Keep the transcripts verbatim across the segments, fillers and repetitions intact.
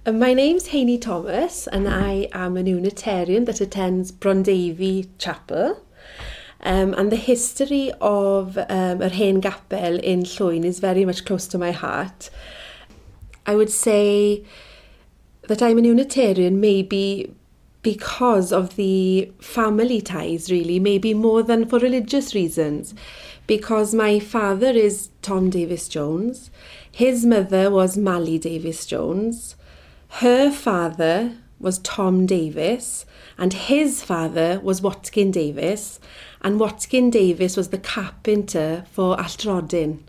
Uh, my name's Heini Thomas and I am an Unitarian that attends Brondeifi Chapel. Um, and the history of um, yr hen gapel in Llwyn is very much close to my heart. I would say that I'm an Unitarian maybe because of the family ties, really, maybe more than for religious reasons. Because my father is Tom Davies Jones, his mother was Mally Davies Jones, her father was Tom Davies, and his father was Watkin Davies, and Watkin Davies was the carpenter for Allt Rhodyn.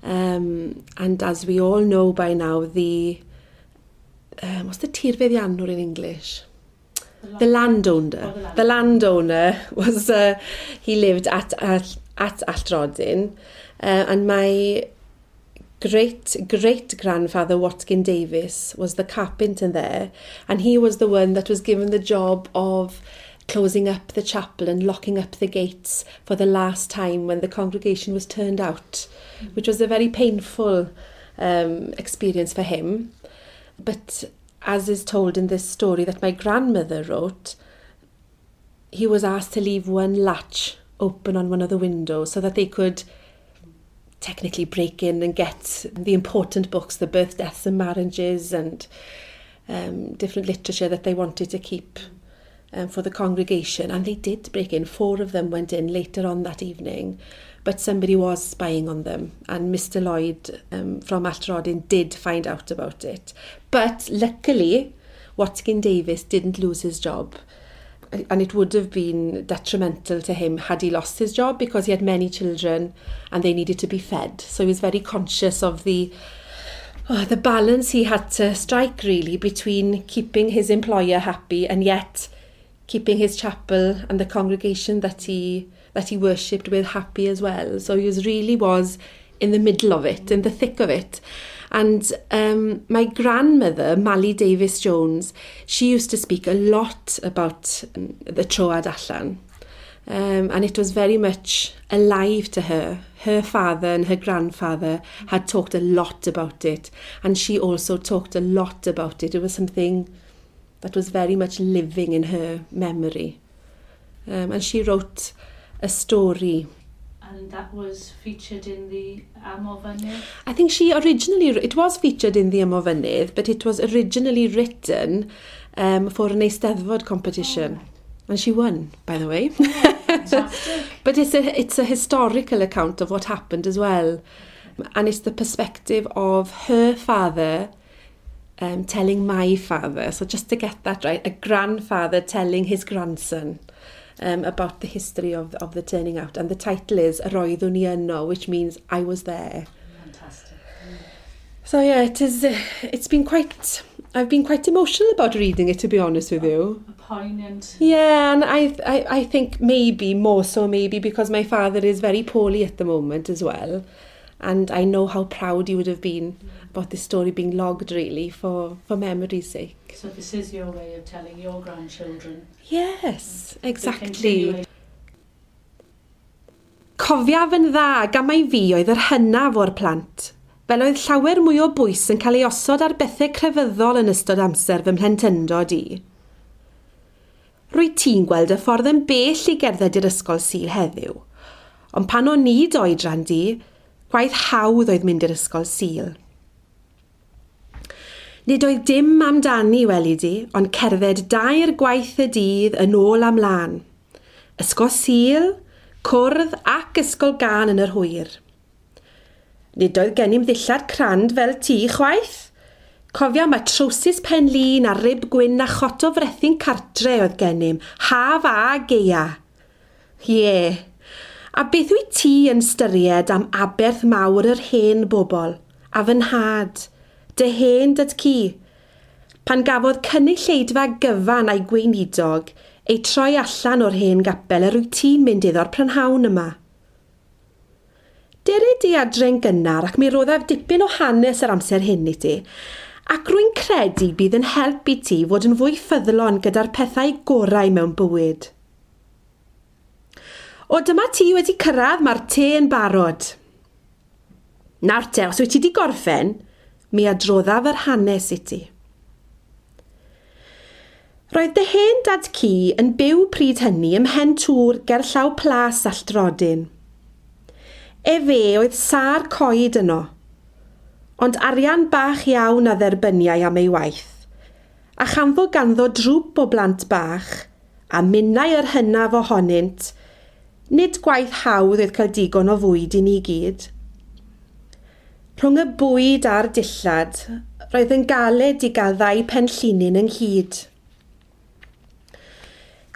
Um, and as we all know by now, the um, what's the tirfeddiannwr in English? The landowner. Oh, the The landowner was, uh, he lived at, at, at Allt Rhodyn, uh, and my great great grandfather Watkin Davies was the carpenter there, and he was the one that was given the job of closing up the chapel and locking up the gates for the last time when the congregation was turned out, which was a very painful um, experience for him. But as is told in this story that my grandmother wrote, he was asked to leave one latch open on one of the windows so that they could technically break in and get the important books, the birth, deaths and marriages and um, different literature that they wanted to keep um, for the congregation. And they did break in. Four of them went in later on that evening, but somebody was spying on them. And Mr Lloyd um, from Allt Rhodyn did find out about it. But luckily, Watkin Davies didn't lose his job. And it would have been detrimental to him had he lost his job, because he had many children and they needed to be fed. So he was very conscious of the, oh, the balance he had to strike, really, between keeping his employer happy and yet keeping his chapel and the congregation that he that he worshipped with happy as well. So he was really was in the middle of it, in the thick of it. And um, my grandmother, Mally Davies Jones, she used to speak a lot about um, the troad allan. Um, and it was very much alive to her. Her father and her grandfather had talked a lot about it. And she also talked a lot about it. It was something that was very much living in her memory. Um, and she wrote a story. And that was featured in the Ym Ofynydd? I think she originally, it was featured in the Ym Ofynydd, but it was originally written um, for an Eisteddfod competition. Oh, right. And she won, by the way. Oh, fantastic. But it's a, it's a historical account of what happened as well. And it's the perspective of her father um, telling my father. So just to get that right, a grandfather telling his grandson um, about the history of, of the turning out. And the title is Yr oeddwn i yno, which means I was there. Fantastic. So yeah, it is, uh, it's been quite, I've been quite emotional about reading it, to be honest with you. A poignant. Yeah, and I, I, I think maybe, more so maybe, because my father is very poorly at the moment as well. And I know how proud he would have been about this story being logged, really, for, for memory's sake. So this is your way of telling your grandchildren. Yes, The exactly. continuation. Cofiaf yn dda gan mai fi oedd yr hynaf o'r plant, fel oedd llawer mwy o bwys yn cael ei osod ar bethau crefyddol yn ystod amser fy mhlentyndod i. Rwyt ti'n gweld y ffordd yn bell i gerdded i'r ysgol Sul heddiw, ond pan o'n i d'oedran di, gwaith hawdd oedd mynd i'r ysgol Sul. Nid oedd dim amdani, weli di, ond cerdded dair gwaith y dydd yn ôl a mlaen. Ysgol Sul, cwrdd ac ysgol gân yn yr hwyr. Nid oedd gennym ddillad crand fel ti chwaith. Cofia mai trowsus pen-lin a rib gwyn a chot o frethyn cartre oedd gennym, haf a gaea. Ie, a beth wyt ti yn styried am aberth mawr yr hen bobl, a fy nhad, dy hen dad-cu, pan gafodd cynulleidfa gyfan a'i gweinidog ei troi allan o'r hen gapel yr wyt ti'n mynd iddo'r prynhawn yma. Dere di adre'n gynnar ac mi roddaf dipyn o hanes yr amser hyn i ti, ac rwy'n credu bydd yn help i ti fod yn fwy ffyddlon gyda'r pethau gorau mewn bywyd. O, dyma ti wedi cyrraedd, mae'r te yn barod. Nawr te, os wyt ti wedi gorffen, mi adroddaf yr hanes i ti. Roedd dy hen dad ci yn byw pryd hynny ym mhen tŵr gerllaw Plas Alltrodyn. Efe oedd sâr coed yno, ond arian bach iawn a dderbyniai am ei waith, a chanfo ganddo drwp o blant bach, a minnau yr hynaf ohonynt, nid gwaith hawdd oedd cael digon o fwyd i ni gyd. Rhwng y bwyd a'r dillad, roedd yn galed i gael ddau penllinyn ynghyd.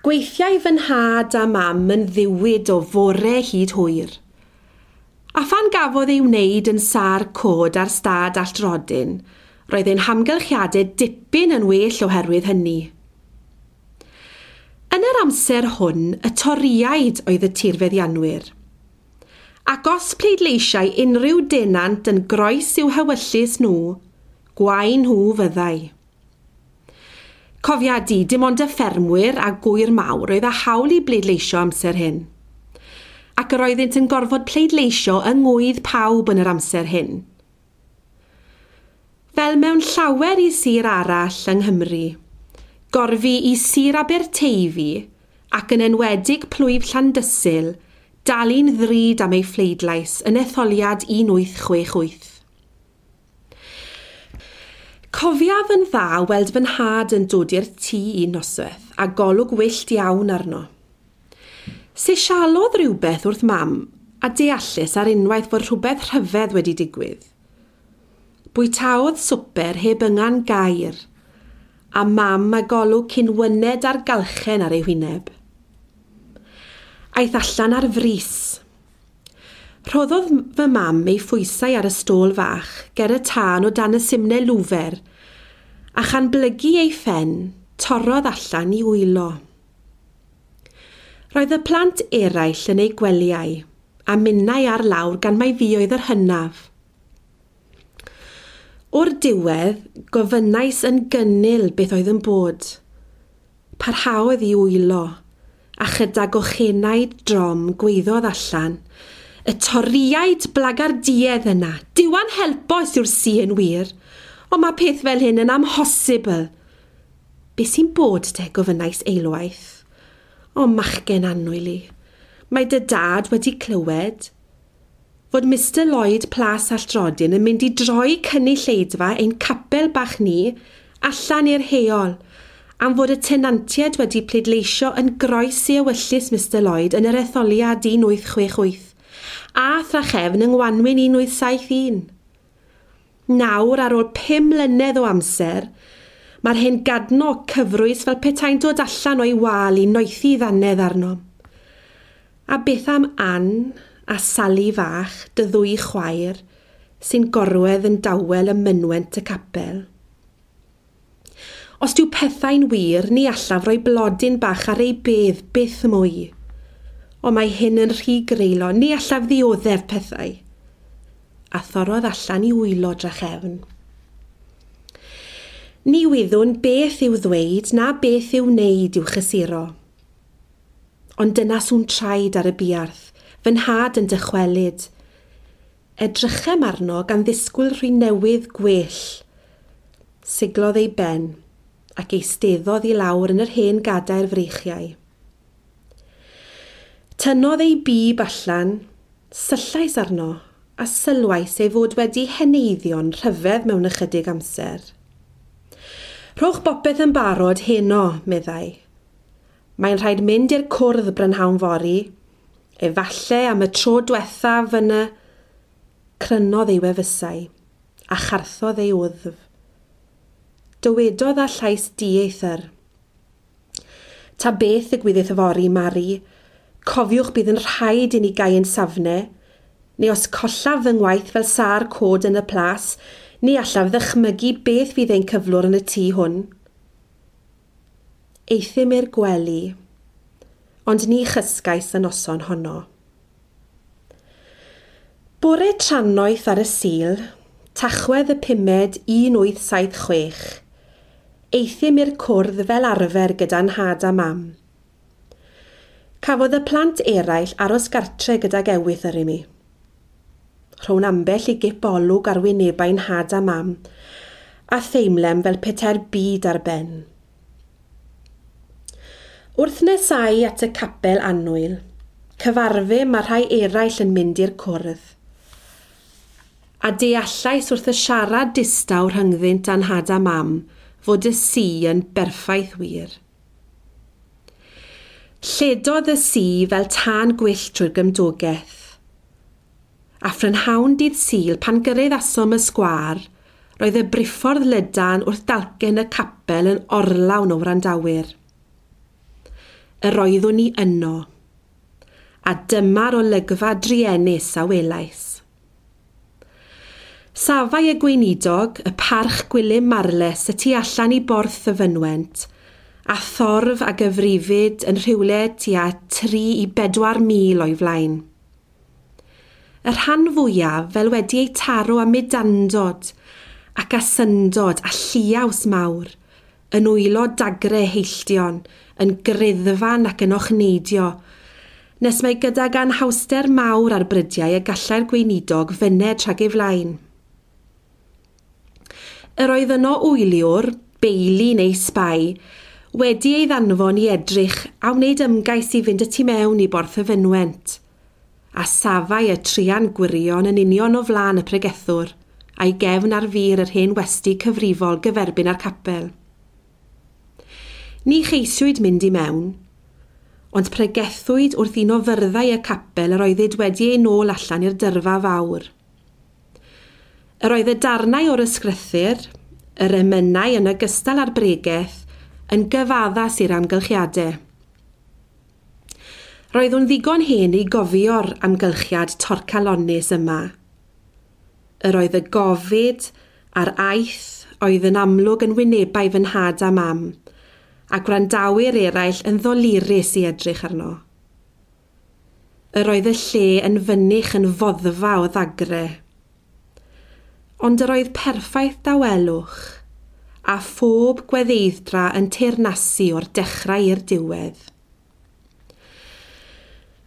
Gweithiai fy nhad a mam yn ddiwyd o fore hyd hwyr. A phan gafodd ei wneud yn sâr cod ar stad Alltrodyn, roedd ein hamgylchiadau dipyn yn well oherwydd hynny. Yn yr amser hwn, y Torïaid oedd y tirfeddianwyr. Ac os pleidleisiau unrhyw denant yn groes i'w hewyllys nhw, gwae nhw fyddai. Cofia di, dim ond y ffermwyr a gwyr mawr oedd â hawl i bleidleisio amser hyn. Ac yr oeddynt yn gorfod pleidleisio yng ngwydd pawb yn yr amser hyn. Fel mewn llawer i sir arall yng Nghymru, gorfu i Sir Aberteifi ac yn enwedig plwyf Llandysul dalu'n ddrud am ei phleidlais yn etholiad un wyth chwech wyth. Cofiaf yn dda weld fy nhad yn dod i'r tŷ un noswaith a golwg wyllt iawn arno. Sisialodd rhywbeth wrth mam a deallus ar unwaith fod rhywbeth rhyfedd wedi digwydd. Bwytaodd swper heb yngan gair, a mam a golwg cyn wyned ar galchen ar ei hwyneb. Aeth allan ar frys. Rhoddodd fy mam ei phwysau ar y stôl fach ger y tân o dan y simne lwfer, a chan blygu ei phen, torrodd allan i wylo. Roedd y plant eraill yn eu gwelyau, a minnau ar lawr gan mai fi oedd yr hynaf. O'r diwedd, gofynnais yn gynnil beth oedd yn bod. Parhaodd i wylo, a chyda gochenaid drom gweiddodd allan, y Torïaid blagardiedd yna, diwan helpos yw'r si yn wir, ond mae peth fel hyn yn amhosibl. Be sy'n bod te, gofynnais eilwaith? O, machgen annwyl i, mae dy dad wedi clywed fod Mister Lloyd Plas Alltrodyn yn mynd i droi cynulleidfa ein capel bach ni allan i'r heol, am fod y tenantiaid wedi pleidleisio yn groes i ewyllys Mister Lloyd yn yr etholiad un wyth chwech wyth, a thrachefn yng Ngwanwyn un wyth saith un. Nawr, ar ôl pum mlynedd o amser, mae'r hen gadno cyfrwys fel petai'n dod allan o'i wal i noethi ddannedd arno. A beth am Ann a Sally fach, dy ddwy chwaer, sy'n gorwedd yn dawel ym mynwent y capel? Os dyw pethau'n wir, ni allaf roi blodyn bach ar ei bedd byth mwy. Ond mae hyn yn rhy greulon, ni allaf ddioddef pethau. A thorrodd allan i wylo drachefn. Ni wyddwn beth i'w ddweud na beth i'w wneud i'w chysuro. Ond dyna sŵn traed ar y buarth, fy nhad yn dychwelyd. Edrychem arno gan ddisgwyl rhy newydd gwell. Siglodd ei ben ac eisteddodd i lawr yn yr hen gadair freichiau. Tynnodd ei bib allan, syllais arno a sylwais ei fod wedi heneiddio'n rhyfedd mewn ychydig amser. Rhowch bopeth yn barod heno, meddai. Mae'n rhaid mynd i'r cwrdd brynhawn fory, efalle am y tro diwethaf yn y... Crynodd ei wefusau, a charthodd ei wddf. Dywedodd â llais dieithr. Ta beth ddigwyddith yfory, Mari, cofiwch bydd yn rhaid i ni gau yn safne, neu os collaf fy ngwaith fel sâr cod yn y plas, ni allaf ddychmygu beth fydd ein cyflwr yn y tŷ hwn. Euthum i'r gwely, ond ni chysgais y noson honno. Bore trannoeth ar y Sul, Tachwedd y pumed un wyth saith chwech, euthum i'r cwrdd fel arfer gyda nhad a mam. Cafodd y plant eraill aros gartre gydag ewythr yr i mi. Rhown ambell i gip olwg ar wynebau nhad a mam, a theimlem fel petai'r byd ar ben. Wrth nesau at y capel annwyl, cyfarfu mae rhai eraill yn mynd i'r cwrdd. A deallais wrth y siarad distaw rhyngddynt â'n nhad a mam fod y si yn berffaith wir. Lledodd y si fel tân gwyllt trwy'r gymdogaeth. A phrynhawn dydd Sul pan gyraeddasom y sgwâr, roedd y briffordd lydan wrth dalcen y capel yn orlawn o wrandawyr. Yr oeddwn i yno, a dyma'r olygfa druenus a welais. Safai y gweinidog, y Parch Gwilym Marles, y tu allan i borth y fynwent, a thorf a gyfrifid yn rhywle tua tri i bedwar mil o'i flaen. Y rhan fwyaf fel wedi ei taro â mudandod ac asyndod a lliaws mawr, yn wylo dagre heilltion, yn greddfan ac yn ochneidio, nes mai gydag anhawster mawr ar brydiau y gallai'r gweinidog fyned rhag ei flaen. Yr oedd yno wyliwr, beili neu sbai, wedi ei ddanfon i edrych a wneud ymgais i fynd y tu mewn i borth y fynwent, a safai y truan gwirion yn union o flaen y pregethwr, a'i gefn ar fur yr hen westy cyfrifol gyferbyn â'r capel. Ni cheisiwyd mynd i mewn, ond pregethwyd wrth un o fyrddau y capel yr oeddid wedi ei nôl allan i'r dyrfa fawr. Yr oedd y darnau o'r ysgrythur, yr emynau yn ogystal â'r bregeth, yn gyfaddas i'r amgylchiadau. Roeddwn ddigon hen i gofio'r amgylchiad torcalonnus yma. Yr oedd y gofid a'r aeth oedd yn amlwg yn wynebau fy nhad a mam, a gwrandawyr eraill yn ddolurus i edrych arno. Yr oedd y lle yn fynych yn foddfa o ddagre. Ond yr oedd perffaith dawelwch, a phob gweddeidd-dra yn teyrnasu o'r dechrau i'r diwedd.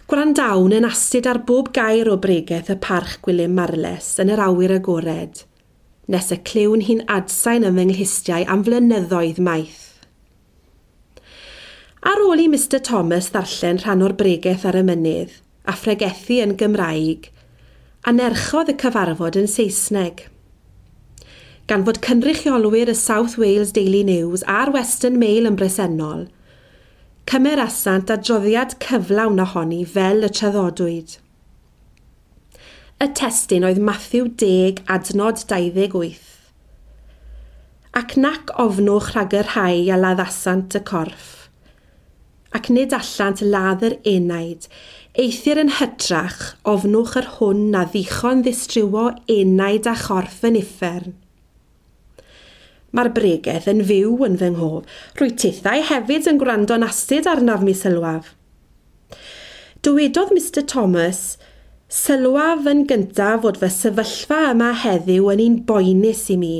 Gwrandawn yn astud ar bob gair o bregeth y Parch Gwilym Marles yn yr awyr agored, nes y clywn hi'n adsain yn fy nghlustiau am flynyddoedd maith. Ar ôl i Mister Thomas ddarllen rhan o'r bregeth ar y mynydd, a phregethu yn Gymraeg, anerchodd y cyfarfod yn Saesneg. Gan fod cynrychiolwyr y South Wales Daily News a'r Western Mail yn bresennol, cymerasant adroddiad cyflawn ohoni fel y traddodwyd. Y testun oedd Matthew deg adnod dau ddeg wyth. Ac nac ofnwch rhag y rhai a laddasant y corff, ac nid allant ladd yr enaid, eithr yn hytrach ofnwch yr hwn na ddichon ddistrywo enaid a chorff yn uffern. Mae'r bregeth yn fyw yn fy nghof, rwy tithau hefyd yn gwrando'n astud arnaf mi sylwaf. Dywedodd Mister Thomas, sylwaf yn gyntaf fod fy sefyllfa yma heddiw yn un boenus i mi,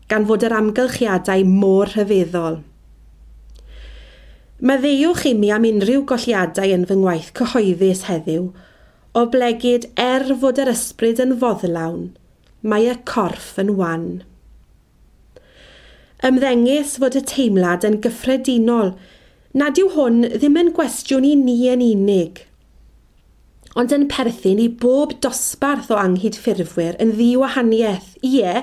gan fod yr amgylchiadau mor rhyfeddol. Maddeuwch i mi am unrhyw golliadau yn fy ngwaith cyhoeddus heddiw, oblegid er fod yr ysbryd yn foddlawn, mae y corff yn wan. Ymddengys fod y teimlad yn gyffredinol, nad yw hwn ddim yn gwestiwn i ni yn unig, ond yn perthyn i bob dosbarth o anghydffurfwyr yn ddiwahaniaeth, ie,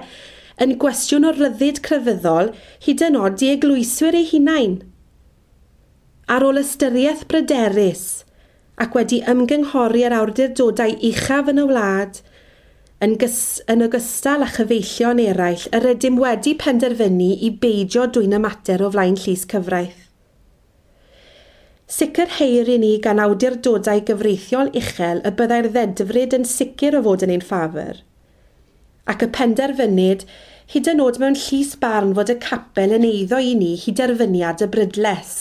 yn gwestiwn o ryddid crefyddol hyd yn oed i eglwyswyr eu hunain. Ar ôl ystyriaeth bryderus ac wedi ymgynghori ar awdurdodau uchaf yn y wlad, yn, gys, yn ogystal â chyfeillion eraill, yr ydym wedi penderfynu i beidio dwyn y mater o flaen llys cyfraith. Sicrheir i ni gan awdurdodau gyfreithiol uchel y byddai'r ddedfryd yn sicr o fod yn ein ffafr, ac y penderfynid hyd yn oed mewn llys barn fod y capel yn eiddo i ni hyd derfyniad y brydles.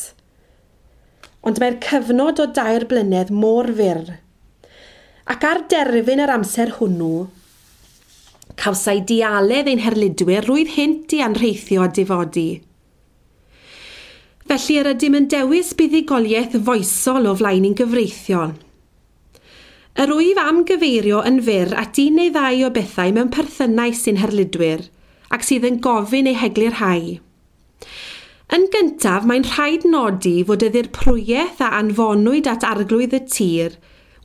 Ond mae'r cyfnod o dair blynedd mor fyr, ac ar derfyn yr amser hwnnw, cawsai dialedd ein herlidwyr rwydd hynt i anrheithio a difodi. Felly yr ydym yn dewis buddugoliaeth foesol o flaen ein gyfreithiol. Yr wyf am gyfeirio yn fyr at un neu ddau o bethau mewn perthynau sy'n herlidwyr ac sydd yn gofyn eu heglurhau. Yn gyntaf, mae'n rhaid nodi fod y ddirprwyaeth a anfonwyd at arglwydd y tir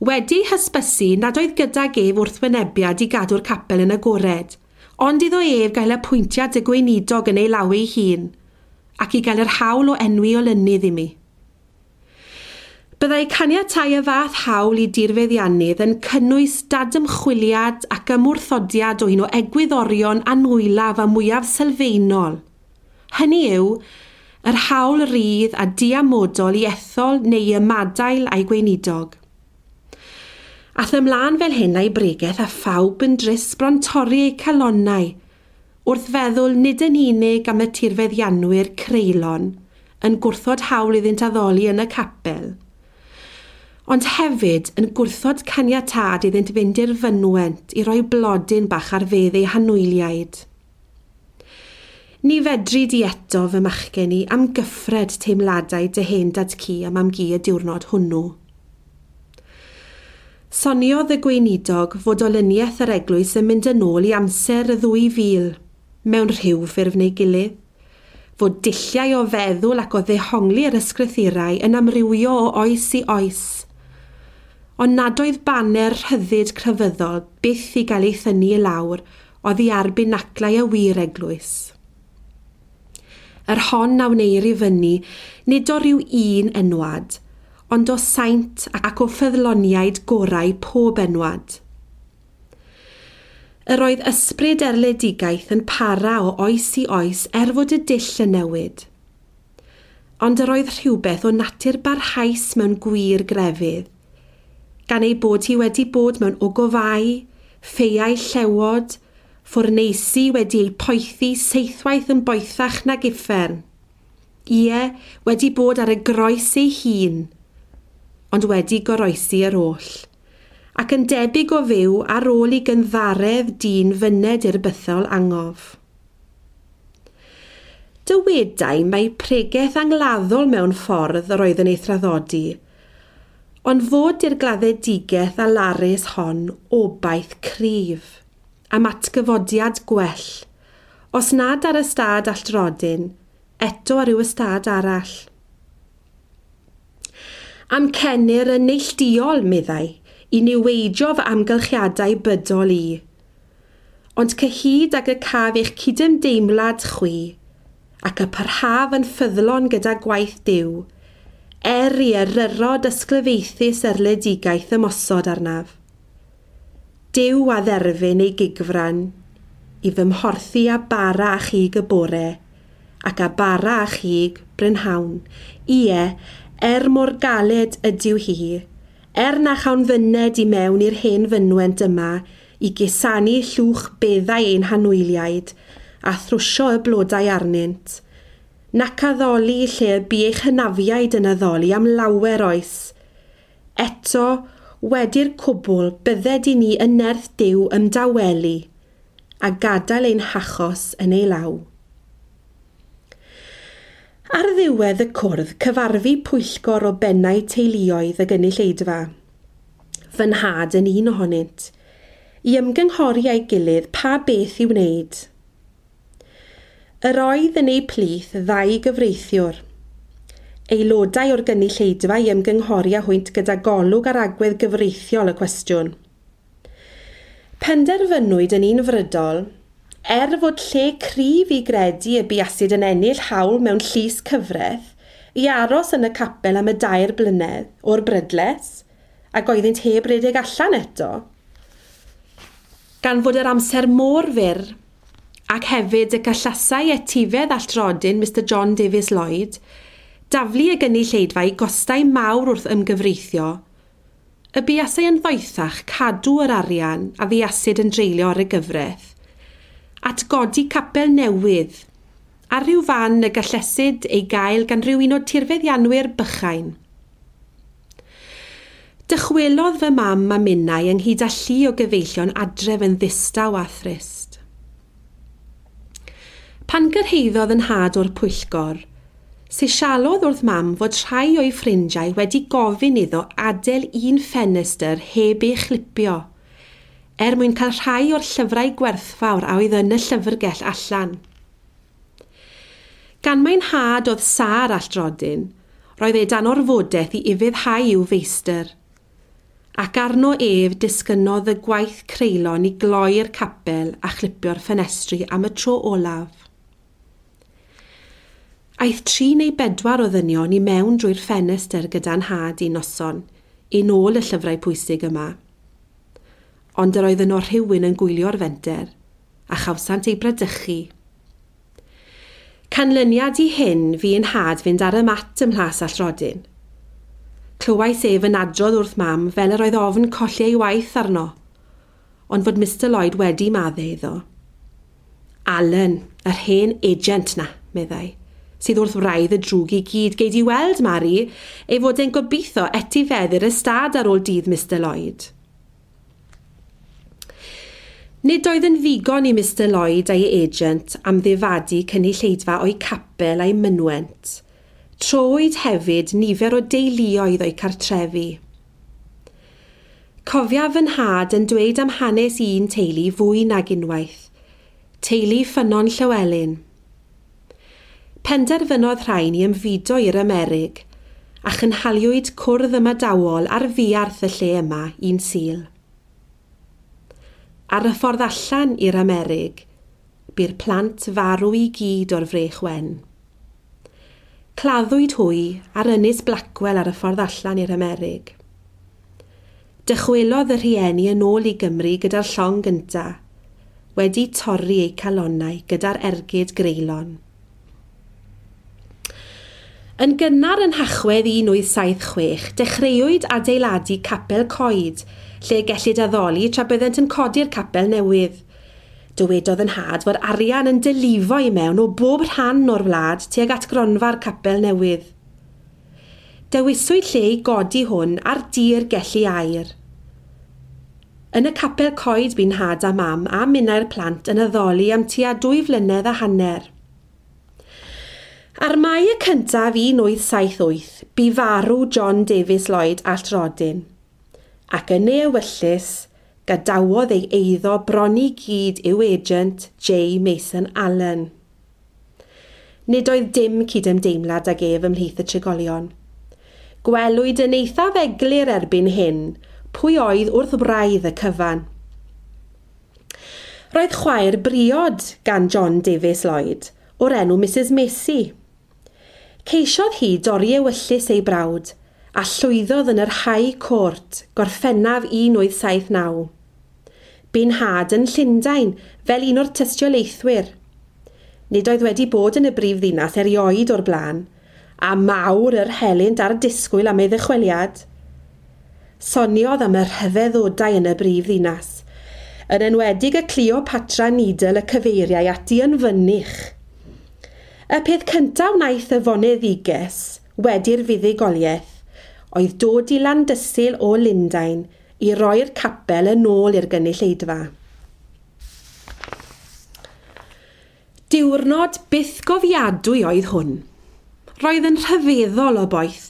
wedi hysbysu nad oedd gydag ef wrthwynebiad i gadw'r capel yn agored, ond iddo ef gael apwyntiad y gweinidog yn ei law ei hun, ac i gael yr hawl o enwi olynydd i mi. Byddai caniatáu y fath hawl i dirfeddiannydd yn cynnwys dadymchwiliad ac ymwrthodiad o un o egwyddorion anwylaf a mwyaf sylfaenol. Hynny yw, yr hawl rydd a diamodol i ethol neu ymadael a'i gweinidog. Ath ymlaen fel hyn a'i bregeth a phawb yn drist bron torri eu calonnau, wrth feddwl nid yn unig am y tirfeddianwyr creulon yn gwrthod hawl iddynt addoli yn y capel, ond hefyd yn gwrthod caniatâd iddynt fynd i'r fynwent i roi blodyn bach ar fedd eu hanwyliaid. Ni fedri di eto fy machgen i am gyffred teimladau dy hen dad-cu a mam-gu y diwrnod hwnnw. Soniodd y gweinidog fod olyniaeth yr eglwys yn mynd yn ôl i amser y ddwy fil, mewn rhyw ffurf neu gilydd, fod dulliau o feddwl ac o ddehongli'r ysgrythurau yn amrywio o oes i oes, ond nad oedd baner rhyddid crefyddol byth i gael ei thynnu i lawr oddi ar binaclau y wir eglwys. Yr hon a wneir i fyny, nid o ryw un enwad, ond o saint ac o ffyddloniaid gorau pob enwad. Yr oedd ysbryd erledigaeth yn para o oes i oes er fod y dull yn newid. Ond yr oedd rhywbeth o natur barhaus mewn gwir grefydd, gan ei bod hi wedi bod mewn ogofau, ffeiau llewod, ffwrneisi wedi ei poethi seithwaith yn boethach nag uffern. Ie, wedi bod ar y groes ei hun, ond wedi goroesi yr oll, ac yn debyg o fyw ar ôl i gynddaredd dyn fyned i'r bythol angof. Dywedai mai pregeth angladdol mewn ffordd yr oedd yn ei thraddodi, ond fod i'r gladdedigaeth alarus hon obaith cryf am atgyfodiad gwell, os nad ar ystâd Alltrodyn, eto ar ryw ystâd arall. Amcenir yn neillduol, meddai, i niweidio fy amgylchiadau bydol i. Ond cyhyd ag y caf eich cydymdeimlad chwi, ac y parhaf yn ffyddlon gyda gwaith Duw, er i eryrod ysglyfaethus erledigaeth ymosod arnaf. Duw a dderfyn ei gigfran, i fy mhorthi a bara a chig y bore, ac a bara a chig brynhawn. Ie, er mor galed ydyw hi, er na chawn fyned i mewn i'r hen fynwent yma, i gusanu llwch beddau ein hanwyliaid, a thrwsio y blodau arnynt, nac addoli lle y bu eich hynafiaid yn addoli am lawer oes. Eto, wedi'r cwbl, bydded i ni yn nerth Duw ymdawelu, a gadael ein hachos yn ei law. Ar ddiwedd y cwrdd, cyfarfu pwyllgor o bennau teuluoedd y gynulleidfa. Fy nhad yn un ohonynt, i ymgynghori â'i gilydd pa beth i wneud. Yr oedd yn eu plith ddau gyfreithiwr, aelodau o'r gynulleidfa i ymgynghori â hwynt gyda golwg ar agwedd gyfreithiol y cwestiwn. Penderfynwyd yn unfrydol, er fod lle cryf i gredu y buasid yn ennill hawl mewn llys cyfraith, i aros yn y capel am y dair blynedd o'r brydles, ac oeddynt heb redeg allan eto. Gan fod yr amser mor fyr, ac hefyd y gallasai etifedd Alltrodyn Mr John Davies Lloyd, daflu y gynulleidfa i gostau mawr wrth ymgyfreithio, y buasai yn ddoethach cadw yr arian a fuasid yn dreulio ar y gyfraith, at godi capel newydd, ar ryw fan y gallesid ei gael gan ryw un o tirfeddianwyr bychain. Dychwelodd fy mam a minnau ynghyd â llu o gyfeillion adref yn ddistaw a thrist. Pan gyrhaeddodd yn nhad o'r pwyllgor, sisialodd wrth mam fod rhai o'i ffrindiau wedi gofyn iddo adael un ffenestr heb ei chlipio, er mwyn cael rhai o'r llyfrau gwerthfawr a oedd yn y llyfrgell allan. Gan Gan mai'n nhad oedd sâr Alltrodyn, roedd e dan orfodaeth i ufuddhau i'w feistr. Ac arno ef disgynnodd y gwaith creulon i gloi'r capel a chlipio'r ffenestri am y tro olaf. Aeth tri neu bedwar o ddynion i mewn drwy'r ffenestr gyda'n nhad un noson, i nôl y llyfrau pwysig yma. Ond yr oedd yno rhywun yn gwylio'r fenter, a chawsant eu bradychu. Canlyniad i hyn fu i'n nhad fynd ar y mat ym Mhlas Alltrodyn. Clywais ef yn adrodd wrth mam fel yr oedd ofn colli ei waith arno, ond fod Mr Lloyd wedi maddau iddo. Alan, yr hen agent na, meddai, sydd wrth wraidd y drwg i gyd. Gei di weld, Mari, ei fod e'n gobeithio etifeddu'r ystâd ar ôl dydd Mr Lloyd. Nid oedd yn ddigon i Mr Lloyd a'i agent am ddifadu cynulleidfa o'i capel a'i mynwent. Trowyd hefyd nifer o deuluoedd o'i cartrefi. Cofiaf fy nhad yn dweud am hanes un teulu fwy nag unwaith, teulu Ffynnon Llywelyn. Penderfynodd rhain i ymfudo i'r Amerig, a chynhaliwyd cwrdd ymadawol ar fuarth y lle yma un Sul. Ar y ffordd allan i'r Amerig, bu'r plant farw i gyd o'r frech wen. Claddwyd hwy ar ynys Blackwell ar y ffordd allan i'r Amerig. Dychwelodd y rhieni yn ôl i Gymru gyda'r llong gynta, wedi torri eu calonnau gyda'r ergyd greulon. Yn gynnar yn Nhachwedd un wyth saith chwech, dechreuwyd adeiladu capel coed, lle gellid addoli tra byddent yn codi'r capel newydd. Dywedodd yn nhad fod arian yn dylifo i mewn o bob rhan o'r wlad tuag at gronfa'r capel newydd. Dewiswyd lle i godi hwn ar dir Gelli Aur. Yn y capel coed bu'n nhad a mam a minnau'r plant yn addoli am tua dwy flynedd a hanner. Ar Mai y cyntaf un wyth saith wyth, bu farw John Davies Lloyd Alltrodyn, ac yn ei ewyllys, gadawodd ei eiddo bron i gyd i'w agent J. Mason Allen. Nid oedd dim cydymdeimlad ag ef ymhlith y trigolion. Gwelwyd yn eithaf eglur erbyn hyn pwy oedd wrth wraidd y cyfan. Roedd chwaer briod gan John Davies Lloyd, o'r enw Mrs Macy. Ceisiodd hi dorri ewyllys ei brawd, a llwyddodd yn yr High Court, Gorffennaf un wyth saith naw. Bu'n nhad yn Llundain fel un o'r tystiolaethwyr. Nid oedd wedi bod yn y brif ddinas erioed o'r blaen, a mawr yr helynt a'r disgwyl am ei ddychweliad. Soniodd am y rhyfeddodau yn y brif ddinas, yn enwedig y Cleopatra Needle y cyfeiriau ati yn fynych. Y peth cyntaf wnaeth y foneddiges wedi'r fuddugoliaeth oedd dod i Landysul o Lundain i roi'r capel yn ôl i'r gynulleidfa. Diwrnod bythgofiadwy oedd hwn. Roedd yn rhyfeddol o boeth,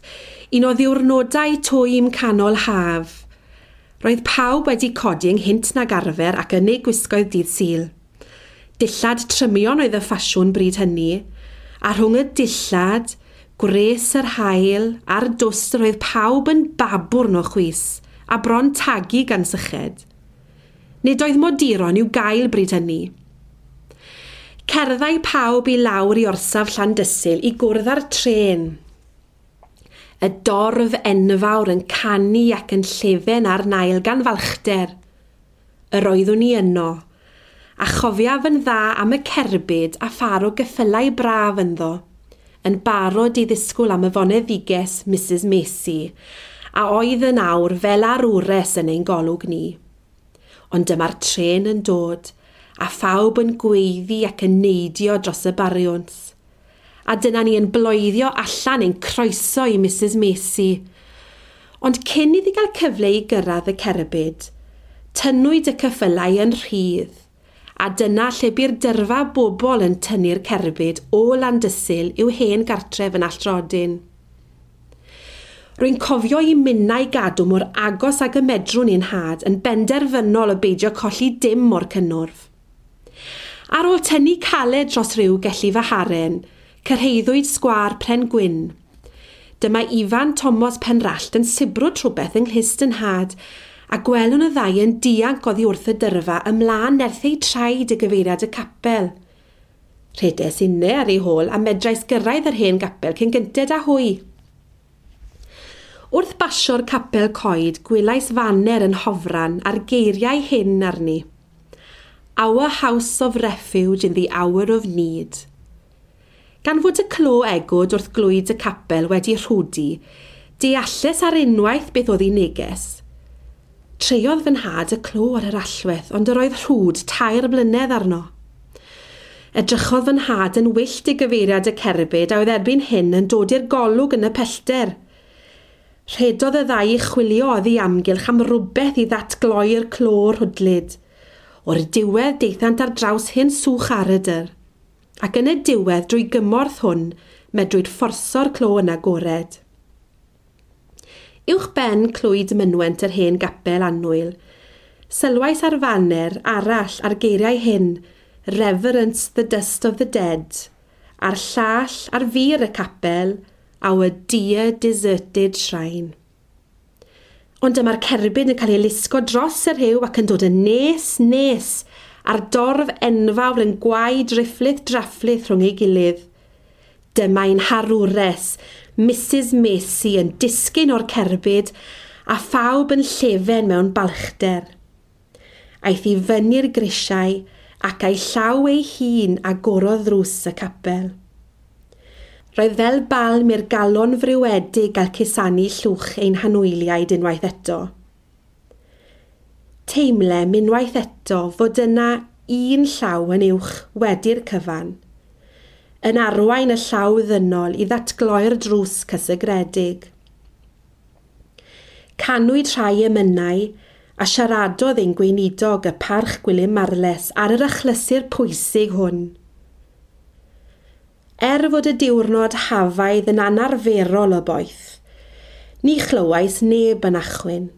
un o ddiwrnodau twym canol haf. Roedd pawb wedi codi ynghynt nag arfer ac yn eu gwisgoedd dydd Sul. Dillad trymion oedd y ffasiwn bryd hynny, a rhwng y dillad, gwres yr haul a'r dwst roedd pawb yn babwrn o chwys a bron tagu gan syched. Nid oedd moduron i'w gael bryd hynny. Cerddai pawb i lawr i orsaf Llandysul i gwrdd â'r trên. Y dorf enfawr yn canu ac yn llefen ar nail gan falchder. Yr oeddwn i yno, a chofiaf yn dda am y cerbyd a phar o geffylau braf ynddo, yn barod i ddisgwyl am y foneddiges Mrs Macy, a oedd yn awr fel arwres yn ein golwg ni. Ond dyma'r trên yn dod, a phawb yn gweiddi ac yn neidio dros y bariwns. A dyna ni yn bloeddio allan ein croeso i Mrs Macy. Ond cyn iddi gael cyfle i gyrraedd y cerbyd, tynnwyd y ceffylau yn rhydd, a dyna lle bu'r dyrfa bobl yn tynnu'r cerbyd o Landysul i'w hen gartref yn Alltrodyn. Rwy'n cofio i minnau gadw mor agos ag y medrwn i'n nhad yn benderfynol o beidio colli dim o'r cynnwrf. Ar ôl tynnu caled dros ryw gelli fy haren, Cyrhaeddwyd sgwâr Pren Gwyn. Dyma Ifan Thomas Penrallt yn sibrwd rhywbeth yng nghlust 'y nhad, a gwelwn y ddau yn dianc oddi wrth y dyrfa ymlaen nerth eu traed i gyfeiriad y capel. Rhedes inne ar ei hôl a medrais gyrraedd yr hen gapel cyn gynted â hwy. Wrth basio'r capel coed, gwelais faner yn hofran a'r geiriau hyn arni. "Our house of refuge in the hour of need." Gan fod y clo egwd wrth glwyd y capel wedi rhwdi, dealles ar unwaith beth oedd ei neges. Treiodd fy nhad y clo ar yr allwedd, ond yr oedd rhwd tair blynedd arno. Edrychodd fy nhad yn wyllt i gyfeiriad y cerbyd a oedd erbyn hyn yn dod i'r golwg yn y pellter. Rhedodd y ddau i chwilio oddi amgylch am rywbeth i ddatgloi'r clo rhwdlyd. O'r diwedd daethant ar draws hen swch aradr. Ac yn y diwedd drwy gymorth hwn, medrwyd fforso'r clo yn agored. Uwch ben clwyd mynwent yr hen gapel annwyl, sylwais ar faner arall a'r geiriau hyn, "Reverence the dust of the dead", a'r llall ar fur y capel, "Our dear deserted shrine". Ond dyma'r cerbyd yn cael ei lusgo dros y rhiw ac yn dod yn nes, nes, a'r dorf enfawr yn gwau drifflith drafflith rhwng ei gilydd. Dyma ein harwres, Missus Macy, yn disgyn o'r cerbyd a phawb yn llefen mewn balchder. Aeth i fyny'r grisiau ac a'i llaw ei hun agorodd ddrws y capel. Roedd fel balm i'r galon friwedig gael cusanu llwch ein hanwyliaid unwaith eto. Teimlem unwaith eto fod yna un llaw yn uwch wedi'r cyfan, yn arwain y llaw ddynol i ddatgloi'r drws cysegredig. Canwyd rhai emynau a siaradodd ein gweinidog y Parchg Gwilym Marles ar yr achlysur pwysig hwn. Er fod y diwrnod hafaidd yn anarferol o boeth, ni chlywais neb yn achwyn.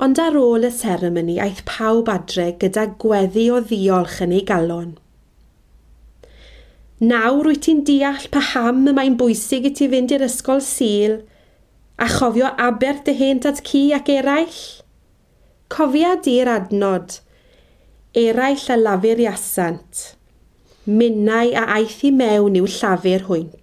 Ond ar ôl y seremoni aeth pawb adre gyda gweddi o ddiolch yn ei galon. Nawr wyt ti'n deall paham y mae'n bwysig i ti fynd i'r ysgol Sul a chofio aberth dy hen dad-cu ac eraill? Cofia di'r adnod, "Eraill a lafuriasant, minnau a aeth i mewn i'w llafur hwynt."